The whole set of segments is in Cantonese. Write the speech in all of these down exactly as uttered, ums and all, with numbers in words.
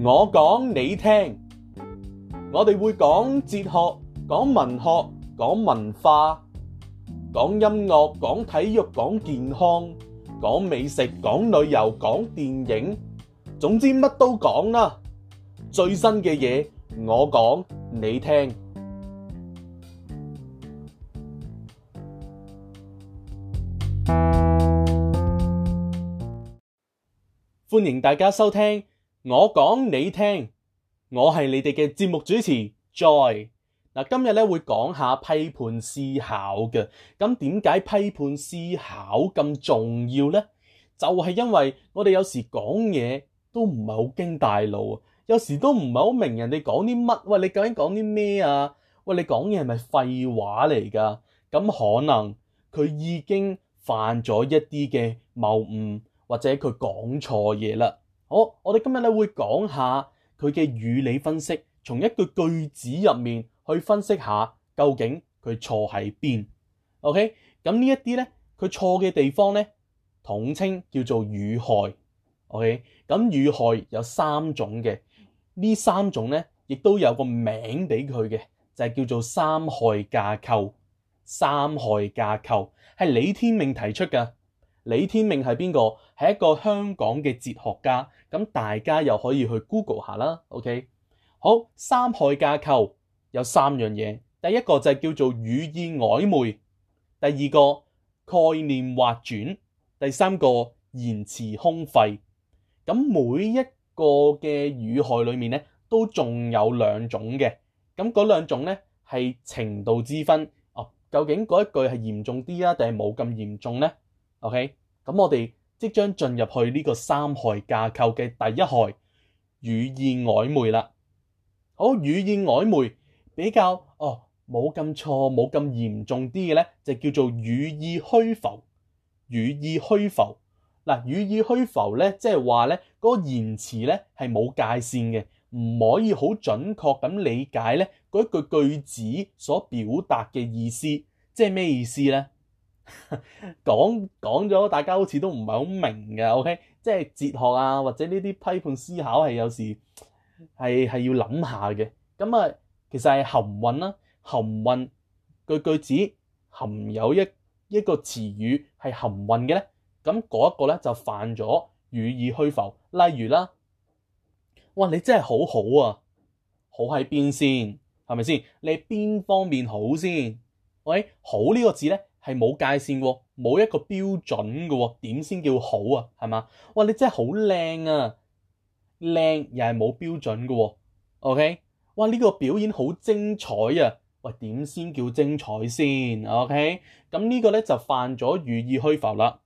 我講你聽，我哋會講哲學、講文學、講文化、講音樂、講體育、講健康、講美食、講旅遊、講電影，總之乜都講啦。最新嘅嘢，我講你聽。歡迎大家收聽我講你聽，我係你哋嘅節目主持 Joy。嗱，今日咧會講下批判思考嘅。咁點解批判思考咁重要呢？就係因為我哋有時講嘢都唔係好經大腦啊，有時都唔係好明人哋講啲乜。喂，你究竟講啲咩啊？喂，你講嘢係咪廢話嚟㗎？咁可能佢已經犯咗一啲嘅謬誤，或者佢講錯嘢啦。好，我哋今日咧會講下佢嘅語理分析，從一句句子入面去分析下究竟佢錯喺邊。OK， 咁呢一啲咧佢錯嘅地方咧，統稱叫做語害。OK， 咁語害有三種嘅，呢三種咧亦都有個名俾佢嘅，就係叫做三害架構。三害架構係李天命提出㗎。李天命係邊個？係一個香港嘅哲學家，咁大家又可以去 Google 下啦。OK， 好，三害架構有三樣嘢，第一個就係叫做語意曖昧，第二個概念劃轉，第三個言辭空廢。咁每一個嘅語害裏面咧，都仲有兩種嘅，咁嗰兩種咧係程度之分。哦，究竟嗰一句係嚴重啲啊，定係冇咁嚴重呢？OK， 咁我哋即將進入去呢個三害架構嘅第一害，語意曖昧啦。好，語意曖昧比較哦冇咁錯冇咁嚴重啲嘅咧，就叫做語意虛浮。語意虛浮嗱，語意虛浮咧，即係話咧嗰個言辭咧係冇界線嘅，唔可以好準確咁理解咧嗰一句句子所表達嘅意思。即係咩意思咧？講講咗，大家好似都唔係好明嘅。OK， 即係哲學啊，或者呢啲批判思考係有時係係要諗下嘅。咁啊，其實係含混啦，含混句句子含有一一個詞語係含混嘅咧，咁嗰一個咧就犯咗語意虛浮。例如啦，哇，你真係好好啊，好喺邊先？係咪先？你邊方面好先？喂，好呢個字咧係冇界線喎，冇一個標準嘅喎，點先叫好啊？係嘛？哇，你真係好靚啊，靚又係冇標準嘅喎。OK， 哇，呢個表演好精彩啊！喂，點先叫精彩先 ？OK， 咁呢個咧就犯咗語意虛浮啦。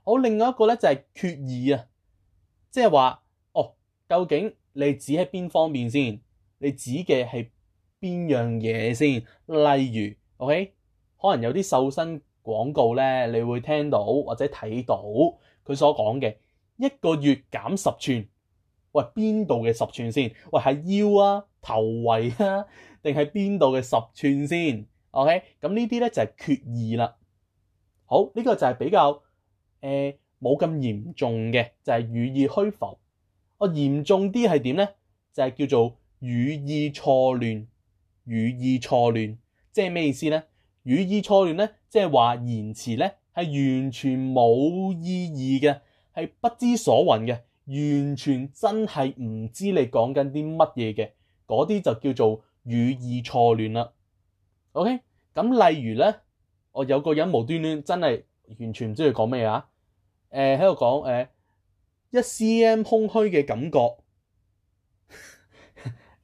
好，另外一個咧就係缺義啊，即係話哦，究竟你指喺邊方面先？你指嘅係邊樣嘢先？例如 OK。可能有啲瘦身廣告咧，你會聽到或者睇到佢所講嘅一個月減十寸。喂，邊度嘅十寸先？喂，係腰啊、頭圍啊，定係邊度嘅十寸先 ？OK， 咁呢啲咧就係缺義啦。好，呢、這個就係比較誒冇咁嚴重嘅，就係、是、語意虛浮。哦，嚴重啲係點咧？就係、是、叫做語意錯亂。語意錯亂，即係咩意思咧？語意錯亂咧，即係話言辭咧係完全冇意義嘅，係不知所云嘅，完全真係唔知你講緊啲乜嘢嘅，嗰啲就叫做語意錯亂啦。OK， 咁例如咧，我有個人無端端真係完全唔知佢講咩啊，誒喺度講誒一 cm 空虛嘅感覺，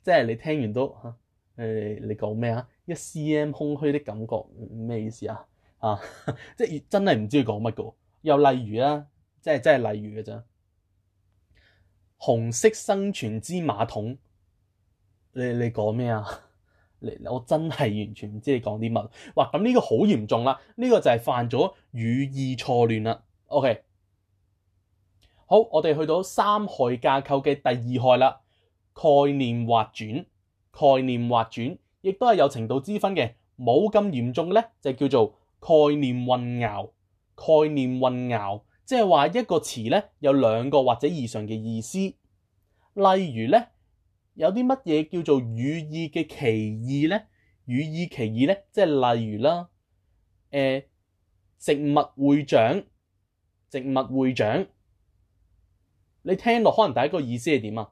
即係你聽完都嚇誒、呃，你講咩啊？一 cm 空虛的感覺咩意思啊？啊，即係真係唔知佢講乜嘅。又例如啦，即係真係例如嘅咋。紅色生存之馬桶，你你講咩啊？你我真係完全唔知你講啲乜。哇，咁呢個好嚴重啦，呢、這個就係犯咗語意錯亂啦。OK， 好，我哋去到三害架構嘅第二害啦，概念劃轉，概念劃轉。亦都係有程度之分嘅，冇咁嚴重嘅咧，就叫做概念混淆。概念混淆，即係話一個詞咧有兩個或者以上嘅意思。例如咧，有啲乜嘢叫做語義嘅歧義呢？語義歧義呢，即係例如啦，誒、呃，植物會長，植物會長，你聽落可能第一個意思係點啊？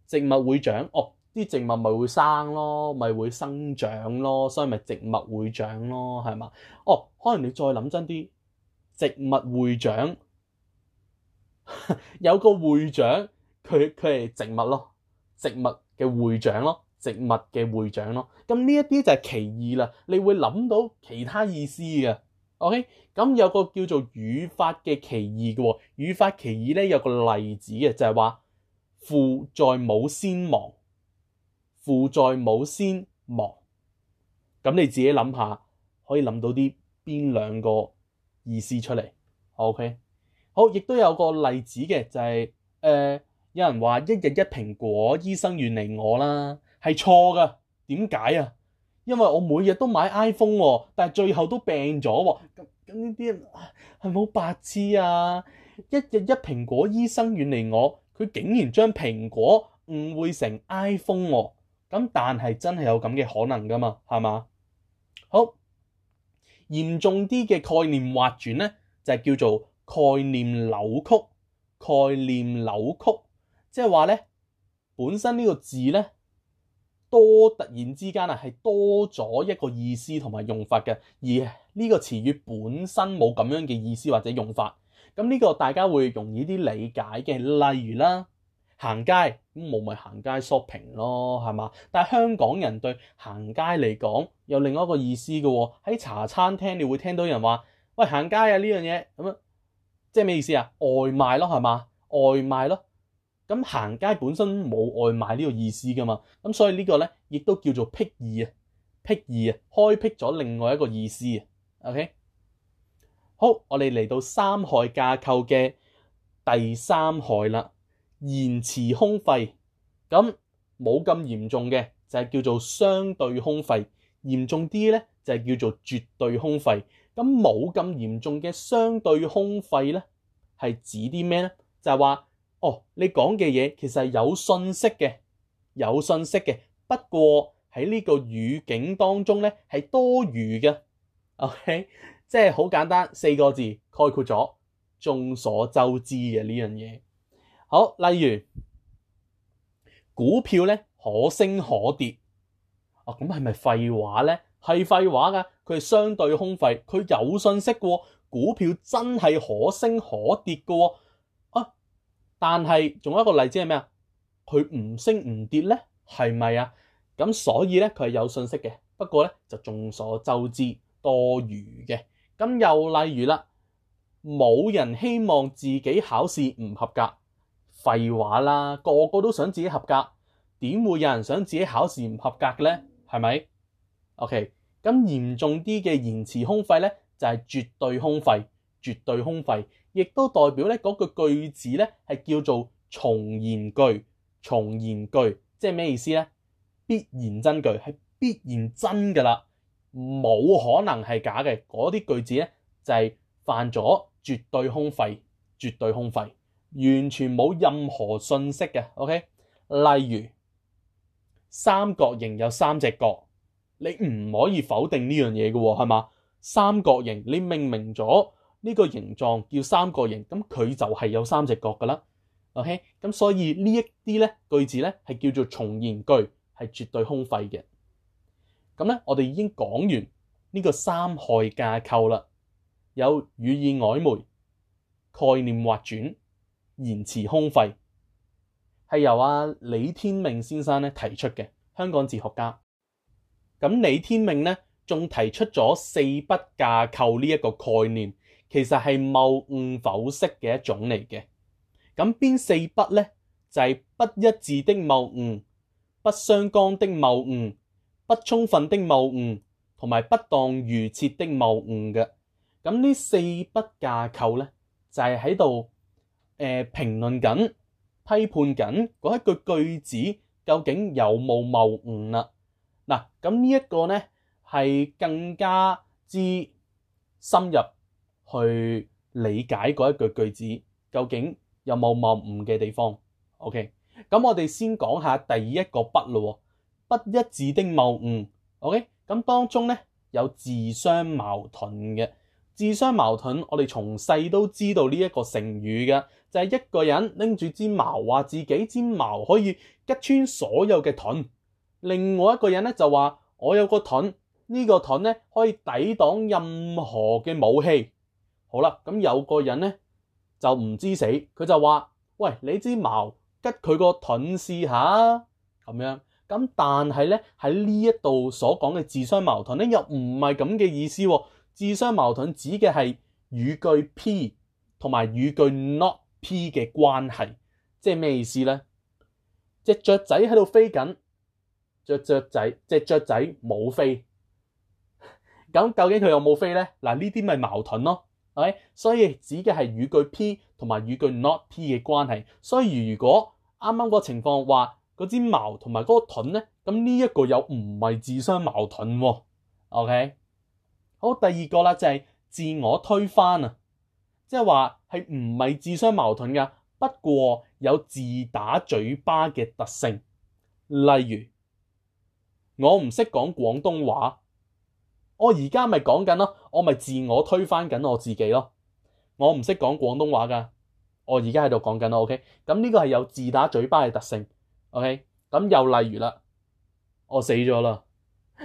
植物會長，哦，啲植物咪會生咯，咪會生長咯，所以咪植物會長咯，係嘛？哦，可能你再諗真啲，植物會長有個會長，佢佢係植物咯，植物嘅會長咯，植物嘅會長咯。咁呢一啲就係歧義啦，你會諗到其他意思嘅。OK，咁有個叫做語法嘅歧義嘅喎，語法歧義咧有個例子嘅，就係話父在母先亡，父在母先亡。咁你自己諗下，可以諗到啲邊兩個意思出嚟 ？OK，好，亦都有個例子嘅，就係、是、誒、呃、有人話一日一蘋果，醫生遠離我啦，係錯噶。點解啊？因為我每日都買 iPhone 喎，但係最後都病咗喎。咁咁呢啲係咪好白痴啊？一日一蘋果，醫生遠離我，佢竟然將蘋果誤會成 iPhone 喎。咁但係真係有咁嘅可能噶嘛？係嘛？好，嚴重啲嘅概念劃轉咧，就係叫做概念扭曲。概念扭曲，即係話咧，本身呢個字咧，多突然之間啊，係多咗一個意思同埋用法嘅，而呢個詞語本身冇咁樣嘅意思或者用法。咁呢個大家會容易啲理解嘅，例如啦，行街咁冇咪行街 shopping 咯，係嘛？但係香港人對行街嚟講有另外一個意思嘅喎。喺茶餐廳你會聽到人話：喂，行街啊呢樣嘢咁樣，即係咩意思啊？外賣咯，係嘛？外賣咯。咁行街本身冇外賣呢個意思噶嘛，咁所以呢個咧亦都叫做闢義啊，闢義啊，開闢咗另外一個意思啊。OK，好，我哋嚟到三害架構嘅第三害啦，言辭空廢。咁冇咁嚴重嘅就係叫做相對空廢，嚴重啲咧就係叫做絕對空廢。咁冇咁嚴重嘅相對空廢咧，係指啲咩咧？就係話，哦，你講嘅嘢其實係有信息嘅，有信息嘅，不過喺呢個語境當中咧係多餘嘅。OK， 即係好簡單，四個字概括咗，眾所周知嘅呢樣嘢。好，例如股票咧可升可跌，啊咁係咪廢話咧？係廢話㗎，佢係相對空廢，佢有信息嘅喎，股票真係可升可跌嘅喎。但係仲有一個例子係咩啊？佢唔升唔跌咧，係咪啊？咁所以咧佢係有信息嘅，不過咧就眾所周知多餘嘅。咁又例如啦，冇人希望自己考試唔合格，廢話啦，個個都想自己合格，點會有人想自己考試唔合格嘅咧？係咪 ？OK，咁嚴重啲嘅言辭空廢咧，就係絕對空廢，絕對空廢。亦都代表咧嗰個句子咧係叫做重言句，重言句即係咩意思咧？必然真句，係必然真噶啦，冇可能係假嘅。嗰啲句子咧就係犯咗絕對空廢，絕對空廢，完全冇任何信息嘅。OK，例如三角形有三隻角，你唔可以否定呢樣嘢嘅喎，係嘛？三角形你命名咗。呢個形狀叫三角形，咁佢就係有三隻角噶啦。OK，咁所以呢一啲咧句子咧係叫做重言句，係絕對空廢嘅。咁咧，我哋已經講完呢個三害架構啦，有語意曖昧、概念劃轉、言辭空廢，係由阿李天命先生咧提出嘅，香港哲學家。咁李天命咧仲提出咗四不架構呢一個概念。其實係謬誤剖析嘅一種嚟嘅。咁邊四不咧？就係、是、不一致的謬誤、不相干的謬誤、不充分的謬誤同埋不當預設的謬誤嘅。咁呢四不架構咧，就係喺度誒評論緊、批判緊嗰一句句子究竟有冇謬誤啦。嗱，咁呢一個咧係更加之深入去理解嗰一句句子究竟有冇謬誤嘅地方。OK，咁我哋先講下第一個不咯，不一致的謬誤。OK， 咁當中咧有自相矛盾嘅。自相矛盾，我哋從細都知道呢一個成語嘅，就係、是、一個人拎住支矛，話自己支矛可以吉穿所有嘅盾；另外一個人咧就話我有個盾，呢、這個盾咧可以抵擋任何嘅武器。好啦，咁有個人咧就唔知死，佢就話：喂，你支矛吉佢個盾試下咁樣。咁但係咧喺呢一度所講嘅自相矛盾咧，又唔係咁嘅意思喎。自相矛盾指嘅係語句 P 同埋語句 not P 嘅關係，即係咩意思咧？隻雀仔喺度飛緊，隻雀仔隻雀仔冇飛，咁究竟佢有冇飛咧？嗱，呢啲咪矛盾咯，係咪？所以指嘅係語句 P 同埋語句 not P 嘅關係。所以如果啱啱個情況話嗰支矛同埋嗰個盾咧，咁呢一個又唔係自相矛盾喎。OK。好，第二個啦就係自我推翻啊，即係話係唔係自相矛盾噶，不過有自打嘴巴嘅特性。例如我唔識講廣東話，我而家咪講緊咯，我咪自我推翻緊我自己咯。我唔識講廣東話噶，我而家喺度講緊咯。OK， 咁呢個係有自打嘴巴嘅特性。OK， 咁又例如啦，我死咗啦。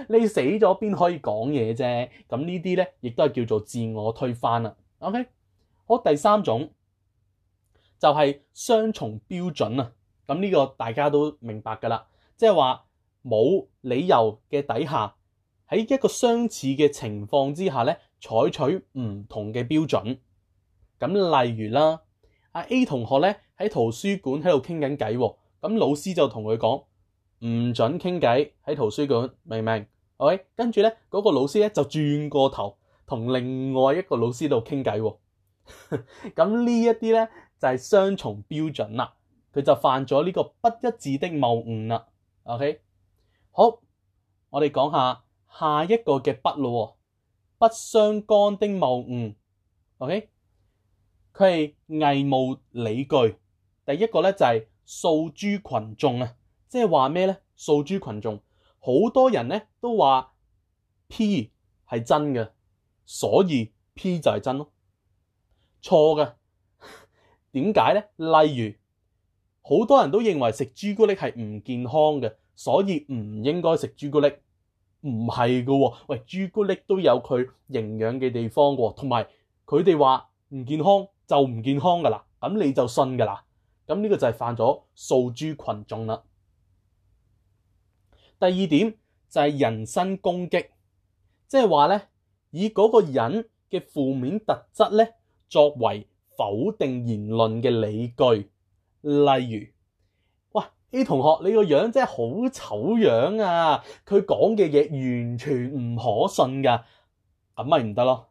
你死咗邊可以講嘢啫？咁呢啲咧，亦都係叫做自我推翻啦。OK， 好，第三種就係雙重標準啊。咁呢個大家都明白噶啦，即係話冇理由嘅底下，喺一個相似嘅情況之下咧，採取唔同嘅標準。咁例如啦，阿 A 同學咧喺圖書館喺度傾緊偈，咁老師就同佢講，唔准傾偈喺圖書館，明唔明？ OK， 跟住咧嗰個老師咧就轉過頭同另外一個老師度傾偈喎。咁呢一啲咧就係雙重標準啦，佢就犯咗呢個不一致的謬誤啦。OK， 好，我哋講下下一個嘅不咯，不相干的謬誤。OK， 佢係偽無理據。第一個咧就係訴諸群眾啊。即係話咩咧？訴諸群眾，好多人咧都話 P 係真嘅，所以 P 就係真咯。錯嘅，點解咧？例如，好多人都認為食朱古力係唔健康嘅，所以唔應該食朱古力。唔係噶，喂，朱古力都有佢營養嘅地方噶，同埋佢哋話唔健康就唔健康噶啦，咁你就信噶啦。咁呢個就係犯咗訴諸群眾啦。第二點就係人身攻擊，即係話咧，以嗰個人嘅負面特質咧作為否定言論嘅理據。例如，哇 A 同學你個樣真係好醜樣啊，佢講嘅嘢完全唔可信噶，咁咪唔得咯。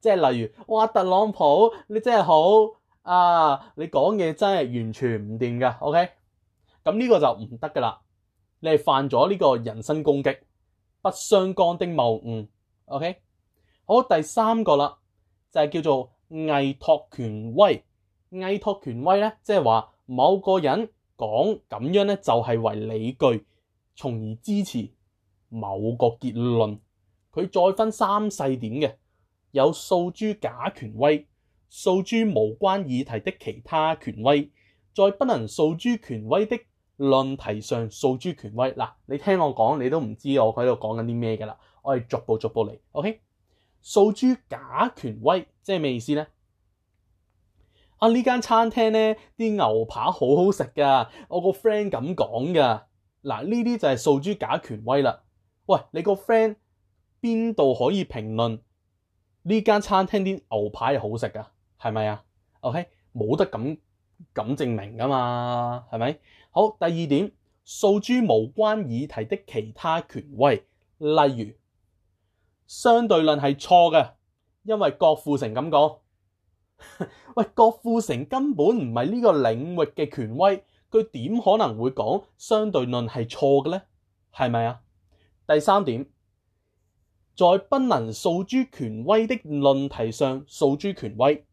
即係例如，哇特朗普你真係好啊，你講嘢真係完全唔掂噶。OK， 咁呢個就唔得噶啦。你係犯咗呢個人身攻擊，不相干的謬誤。OK， 好，第三個啦，就係叫做偽託權威。偽託權威咧，即係話某個人講咁樣咧，就係為理據，從而支持某個結論。佢再分三細點嘅，有訴諸假權威、訴諸無關議題的其他權威，在不能訴諸權威的論題上訴諸權威。嗱，你聽我講，你都唔知我喺度講緊啲咩㗎啦。我哋逐步逐步嚟。OK， 訴諸假權威即係咩意思咧？啊，呢間餐廳咧啲牛扒好好食㗎，我個 friend 咁講㗎。嗱，呢啲就係訴諸假權威啦。喂，你個 friend 邊度可以評論呢間餐廳啲牛扒係好食㗎？係咪啊 ？OK， 冇得咁咁證明㗎嘛，係咪？好，第二點，訴諸無關議題的其他權威，例如相對論係錯嘅，因為郭富城咁講。喂，郭富城根本唔係呢個領域嘅權威，佢點可能會講相對論係錯嘅咧？係咪啊？第三點，在不能訴諸權威的論題上訴諸權威，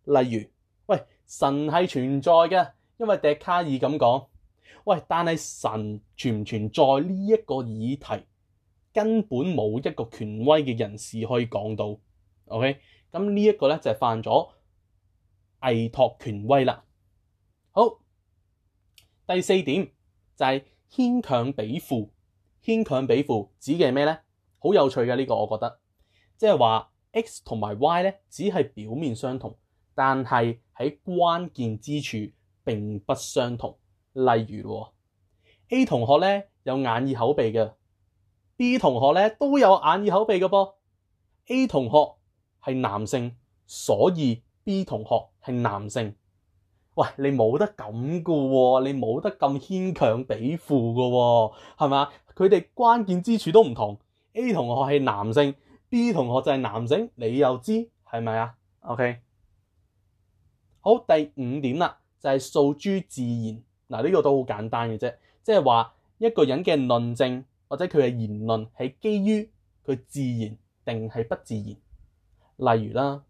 例如，喂，神係存在嘅。因為笛卡爾咁講，喂，但係神存唔存在呢一個議題，根本冇一個權威嘅人士可以講到。OK， 咁呢一個咧就係犯咗偽託權威啦。好，第四點就係牽強比附。牽強比附指嘅係咩咧？好有趣嘅呢個，我覺得，即係話 X 同埋 Y 咧只係表面相同，但係喺關鍵之處並不相同。例如 A 同學咧有眼耳口鼻嘅， B 同學咧都有眼耳口鼻嘅噃。 A 同學係男性，所以 B 同學係男性。喂，你冇得咁嘅喎，你冇得咁牽強比附嘅喎，係嘛？佢哋關鍵之處都唔同。A 同學係男性， B 同學就係男性，你又知係咪啊 ？OK， 好，第五點啦，就係訴諸自然。嗱，呢個都好簡單嘅啫，即係話一個人嘅論證或者佢嘅言論係基於佢自然定係不自然。例如啦，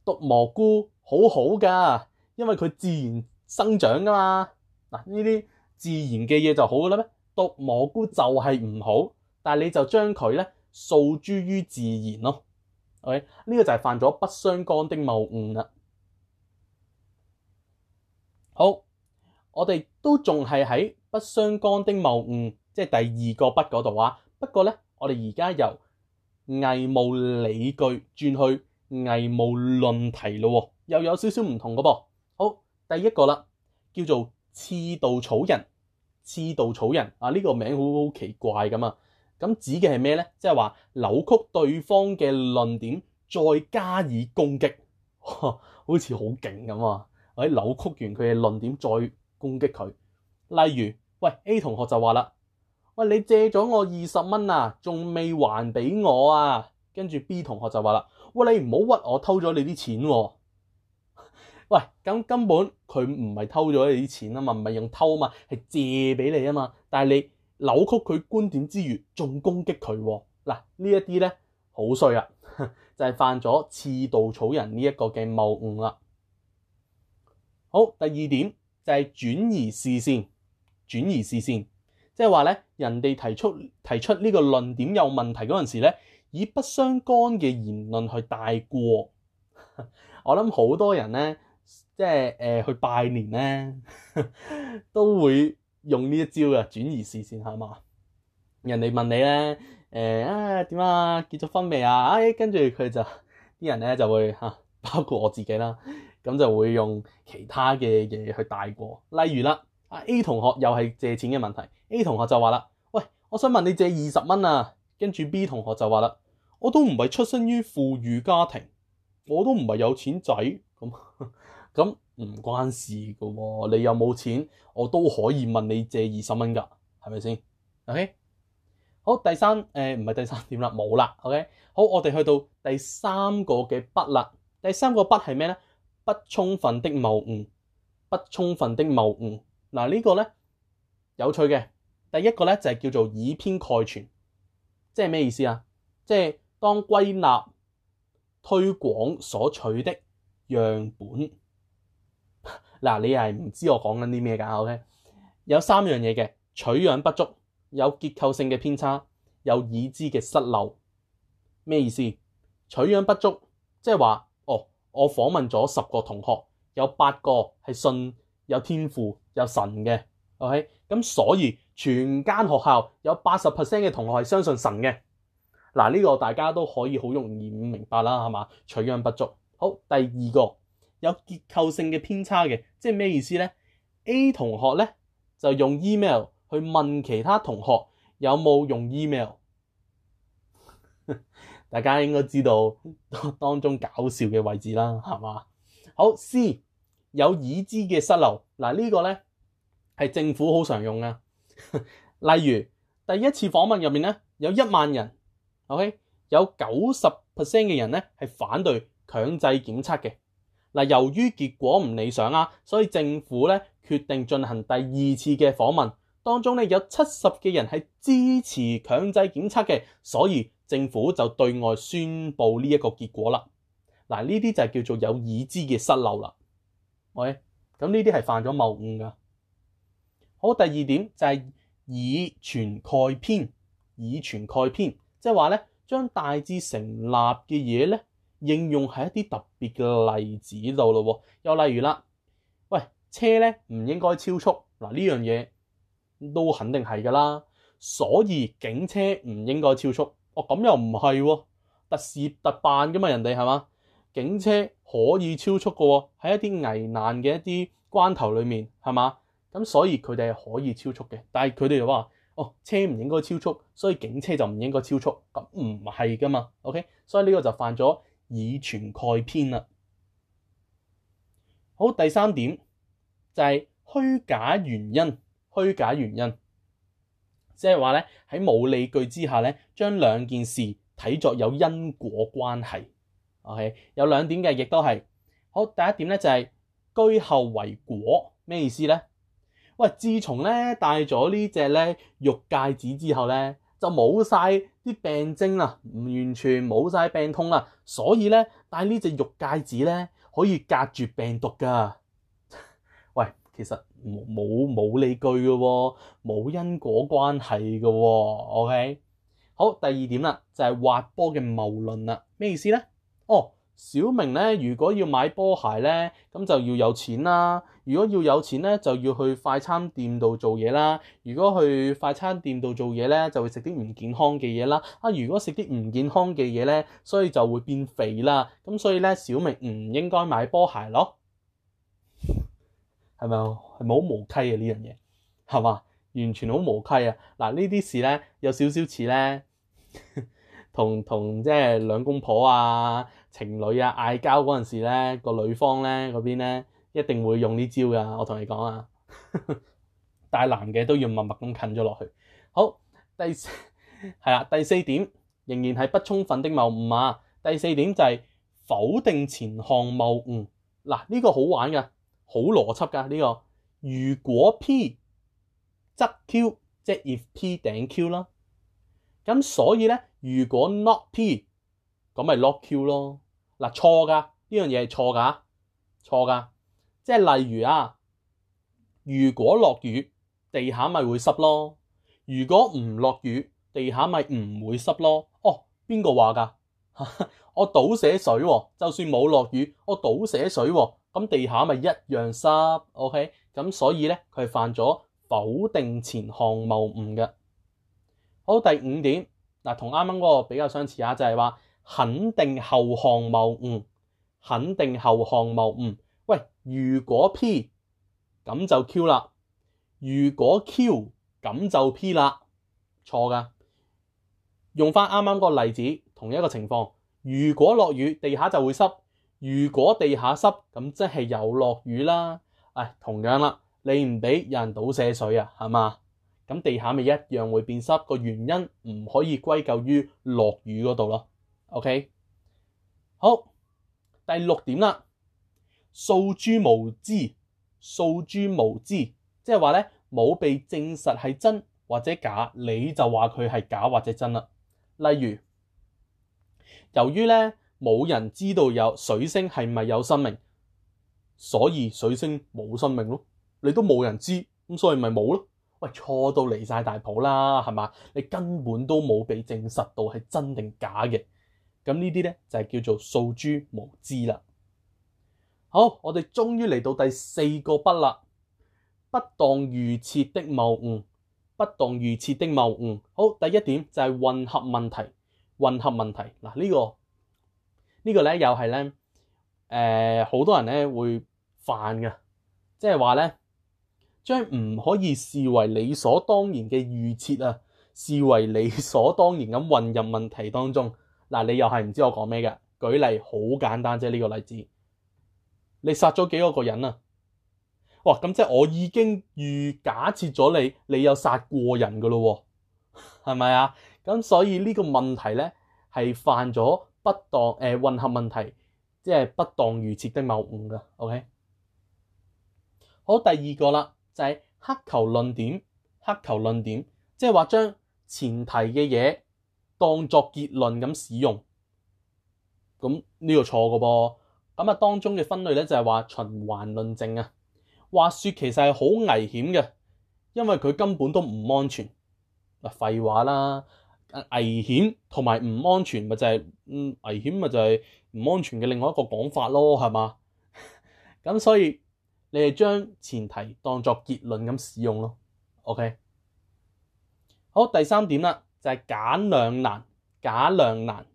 毒蘑菇好好噶，因為佢自然生長噶嘛。嗱，呢啲自然嘅嘢就好噶啦咩？毒蘑菇就係唔好，但係你就將佢咧訴諸於自然咯。OK， 呢個就係犯咗不相干的謬誤啦。好，我哋都仲係喺不相干的謬誤，即係第二個不嗰度啊。不過咧，我哋而家由偽冒理據轉去偽冒論題咯，又有少少唔同嘅噃。好，第一個啦，叫做刺稻草人。刺稻草人啊，呢個名好好奇怪咁啊。咁指嘅係咩咧？即係話扭曲對方嘅論點，再加以攻擊，好似好勁咁啊！喺扭曲完佢嘅論點，再攻擊佢。例如，喂 A 同學就話啦，喂，你借咗我二十蚊啊，仲未還俾我啊？跟住 B 同學就話啦，喂，你唔好屈我偷咗你啲錢喎。喂，咁根本佢唔係偷咗你啲錢啊嘛，唔係用偷啊嘛，係借俾你啊嘛。但係你扭曲佢觀點之餘，仲攻擊佢喎。嗱，呢一啲咧好衰啊，就係犯咗刺稻草人呢一個嘅謬誤啦。好，第二點就係轉移視線，轉移視線，即係話咧，人哋提出提出呢個論點有問題嗰陣時咧，以不相干嘅言論去帶過。我諗好多人咧，即係誒、呃、去拜年咧，都會用呢一招嘅轉移視線，係嘛？人哋問你咧，誒啊點啊結咗婚未啊？哎，跟住佢就啲人咧就會嚇、啊，包括我自己啦，咁就會用其他嘅嘢去帶過。例如啦，啊 A 同學又係借錢嘅問題 ，A 同學就話啦，喂，我想問你借二十蚊啊，跟住 B 同學就話啦，我都唔係出身於富裕家庭。我都唔係有錢仔，咁咁唔關事㗎喎。你有冇錢，我都可以問你借二十蚊㗎，係咪先 ？OK， 好，第三誒唔係第三點啦，冇啦。OK， 好，我哋去到第三個嘅不啦。第三個不係咩咧？不充分的謬誤，不充分的謬誤。嗱、這個、呢個咧有趣嘅。第一個咧就係、是、叫做以偏概全，即係咩意思啊？即係當歸納推廣所取的樣本，嗱，你係唔知我講緊啲咩㗎 ？OK， 有三樣嘢嘅，取樣不足，有結構性嘅偏差，有已知嘅失漏。咩意思？取樣不足，即係話，哦，我訪問咗十個同學，有八個係信有天賦有神嘅 ，OK， 咁所以全間學校有八十 percent 嘅同學係相信神嘅。嗱，呢個大家都可以好容易明白啦，係嘛？取樣不足。好，第二個有結構性嘅偏差嘅，即係咩意思咧 ？A 同學咧就用 email 去問其他同學有冇用 email， 大家應該知道當中搞笑嘅位置啦，係嘛？好 ，C 有已知嘅失漏。嗱，呢個咧係政府好常用嘅，例如第一次訪問入面咧有一萬人。OK， 有九十 percent 嘅人咧係反對強制檢測嘅。嗱，由於結果唔理想啊，所以政府咧決定進行第二次嘅訪問，當中咧有七十嘅人係支持強制檢測嘅，所以政府就對外宣布呢一個結果啦。嗱，呢啲就係叫做有已知嘅失漏啦。喂，咁呢啲係犯咗謬誤噶。好，第二點就係以傳概編，以傳概編，即係話咧將大致成立嘅嘢咧應用喺一啲特別嘅例子度咯。又例如啦，喂，車咧唔應該超速，嗱呢樣嘢都肯定係噶啦，所以警車唔應該超速。哦，咁又唔係喎，特事特辦噶嘛，人哋係嘛？警車可以超速噶喎，喺一啲危難嘅一啲關頭裏面係嘛？咁所以佢哋係可以超速嘅，但係佢哋又話哦，車唔應該超速，所以警車就唔應該超速，咁唔係噶嘛 ，OK？ 所以呢個就犯咗以傳概編啦。好，第三點就係虛假原因，虛假原因，即係話咧喺冇理據之下咧，將兩件事睇作有因果關係。OK， 有兩點嘅，亦都係好。第一點咧就係居後為果，咩意思咧？喂，自從咧戴咗呢隻咧玉戒指之後咧，就冇晒啲病徵啦，完全冇晒病痛啦，所以咧戴呢隻玉戒指咧可以隔絕病毒噶。喂，其實冇冇冇理據嘅喎，冇因果關係嘅喎。OK， 好，第二點啦，就係滑波嘅謬論啦，咩意思咧？哦，小明咧，如果要買波鞋咧，咁就要有錢啦。如果要有錢咧，就要去快餐店度做嘢啦。如果去快餐店度做嘢咧，就會食啲唔健康嘅嘢啦。啊，如果食啲唔健康嘅嘢咧，所以就會變肥啦。咁所以咧，小明唔應該買波鞋咯。係咪？係咪好無稽啊？呢樣嘢係嘛？完全好無稽啊！嗱，呢啲事咧有少少似咧。同同即係兩公婆啊、情侶啊嗌交嗰陣時咧，個女方咧嗰邊咧一定會用呢招噶，我同你講啊。但係男嘅都要默默咁近咗落去。好，第四係啦，第四點仍然係不充分的謬誤啊。第四點就係否定前項謬誤。嗱，呢個好玩噶，好邏輯噶呢個。如果 P 則 Q， 即係 if P 頂 Q 啦。咁所以咧，如果 not P， 咁咪 not Q 咯。嗱，錯噶，呢樣嘢係錯噶，錯噶。即係例如啊，如果落雨，地下咪會濕咯；如果唔落雨，地下咪唔會濕咯。哦，邊個話噶？我倒寫水喎，就算冇落雨，我倒寫水喎，咁地下咪一樣濕。OK， 咁所以咧，佢係犯咗否定前項謬誤嘅。好，第五點嗱，同啱啱嗰個比較相似啊，就係話肯定後項謬誤，肯定後項謬誤。喂，如果 P 咁就 Q 啦，如果 Q 咁就 P 啦，錯噶。用翻啱啱嗰個例子，同一個情況，如果落雨，地下就會濕；如果地下濕，咁即係有落雨啦。唉，同樣啦，你唔俾有人倒瀉水啊，係嘛？咁地下咪一樣會變濕，個原因唔可以歸咎於落雨嗰度咯。OK， 好，第六點啦，訴諸無知，訴諸無知，即係話咧冇被證實係真或者假，你就話佢係假或者真啦。例如，由於咧冇人知道有水星係咪有生命，所以水星冇生命咯。你都冇人知，咁所以咪冇咯。喂，錯到離晒大譜啦，係嘛？你根本都冇被證實到係真定假嘅，咁呢啲咧就係叫做訴諸無知啦。好，我哋終於嚟到第四個不啦，不當預設的謬誤，不當預設的謬誤。好，第一點就係混合問題，混合問題嗱，呢個呢個咧又係咧誒好多人咧會犯嘅，即係話咧。將唔可以視為理所當然嘅預設啊，視為理所當然咁混入問題當中。嗱，你又係唔知我講咩嘅？舉例好簡單啫，呢個例子，你殺咗幾多個人啊？哇，咁即係我已經預假設咗你，你有殺過人噶咯，係咪啊？咁所以呢個問題咧係犯咗不當誒、呃、混合問題，即係不當預設的謬誤噶。OK， 好，第二個啦。就係黑球論點，黑球論點，即係話將前提嘅嘢當作結論咁使用，咁呢個錯嘅噃。咁啊當中嘅分類咧就係話循環論證啊，滑雪其實係好危險嘅，因為佢根本都唔安全。啊，廢話啦，危險同埋唔安全咪就係、是，嗯，危險咪就係唔安全嘅另外一個講法咯，係嘛？咁所以你係將前提當作結論咁使用咯。OK， 好，第三點啦，就係、是、假兩難，假兩難，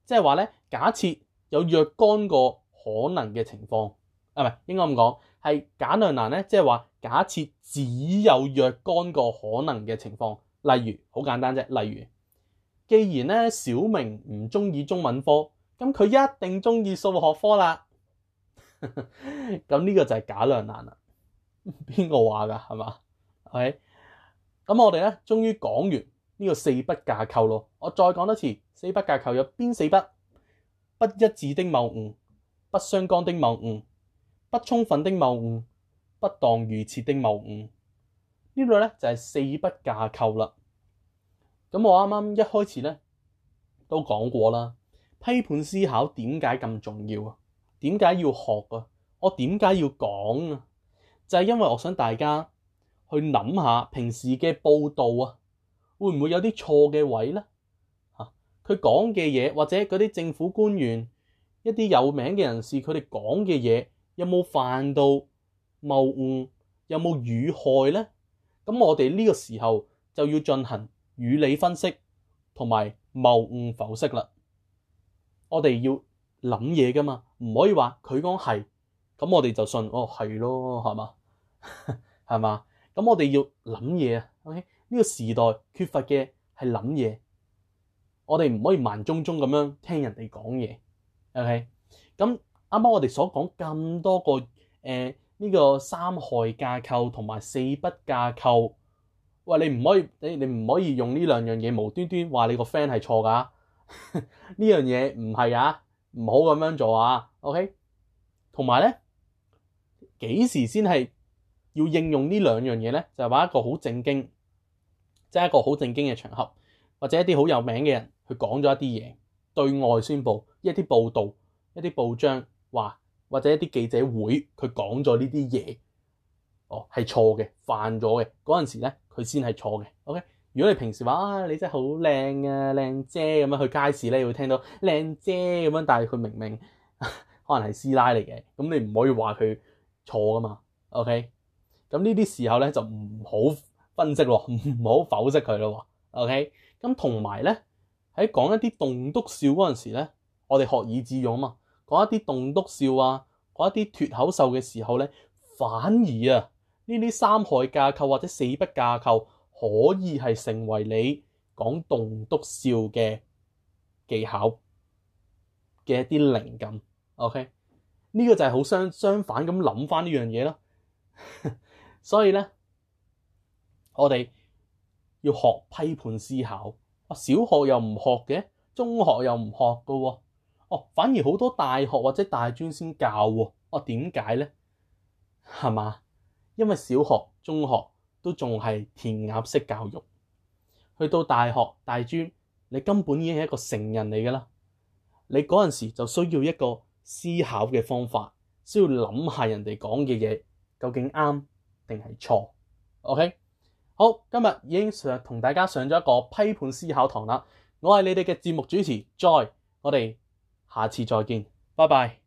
即係話咧，假設有若干個可能嘅情況，啊，唔係應該咁講，係假兩難咧，即係話假設只有若干個可能嘅情況。例如好簡單啫，例如既然咧小明唔中意中文科，咁佢一定中意數學科啦。咁呢個就係假兩難啦。邊個話㗎？係嘛？係。咁我哋咧終於講完呢個四不架構咯。我再講多次，四不架構有邊四不？不一致的謬誤，不相干的謬誤，不充分的謬誤，不當預設的謬誤。呢度咧就係四不架構啦。咁我啱啱一開始咧都講過啦，批判思考點解咁重要啊？點解要學啊？我點解要講啊？就係因為我想大家去諗下平時嘅報道啊，會唔會有啲錯嘅位咧？嚇，佢講嘅嘢或者嗰啲政府官員、一啲有名嘅人士，佢哋講嘅嘢有冇犯到謬誤？有冇語害咧？咁我哋呢個時候就要進行語理分析同埋謬誤剖析啦。我哋要諗嘢噶嘛，唔可以話佢講係，咁我哋就信哦係咯，係嘛？係嘛？咁我哋要諗嘢啊。OK，呢個時代缺乏嘅係諗嘢，我哋唔可以盲中中咁樣聽人哋講嘢。OK，咁啱啱我哋所講咁多個誒。呃呢個三害架構同埋四不架構，喂，你唔可以，你你唔可以用呢兩樣嘢無端端話你個 friend 係錯㗎。呢樣嘢唔係啊，唔好咁樣做啊。OK，同埋咧，幾時先係要應用呢兩樣嘢咧？就係話一個好正經，即係一個好正經嘅場合，或者一啲好有名嘅人去講咗一啲嘢，對外宣佈一啲報導，一啲報章話。或者一啲記者會，佢講咗呢啲嘢，哦係錯嘅，犯咗嘅嗰陣時咧，佢先係錯嘅。OK，如果你平時話啊，你真係好靚啊，靚姐咁樣去街市咧，會聽到靚姐咁樣，但係佢明明可能係師奶嚟嘅，咁你唔可以話佢錯噶嘛。OK，咁呢啲時候咧就唔好分析咯，唔好剖析佢咯。OK，咁同埋咧喺講一啲棟篤笑嗰陣時咧，我哋學以致用啊嘛。講一啲棟篤笑啊，講一啲脫口秀嘅時候咧，反而啊呢啲三害架構或者四不架構可以係成為你講棟篤笑嘅技巧嘅一啲靈感。OK，呢個就係好相相反咁諗翻呢樣嘢咯。所以咧，我哋要學批判思考。啊，小學又唔學嘅，中學又唔學噶喎。哦，反而好多大學或者大專先教喎。哦，點解咧？係嘛？因為小學、中學都仲係填鴨式教育，去到大學、大專，你根本已經係一個成人嚟㗎啦。你嗰陣時就需要一個思考嘅方法，需要諗下人哋講嘅嘢究竟啱定係錯。OK， 好，今日已經上同大家上咗一個批判思考堂啦。我係你哋嘅節目主持 Joy，我哋下次再見，拜拜。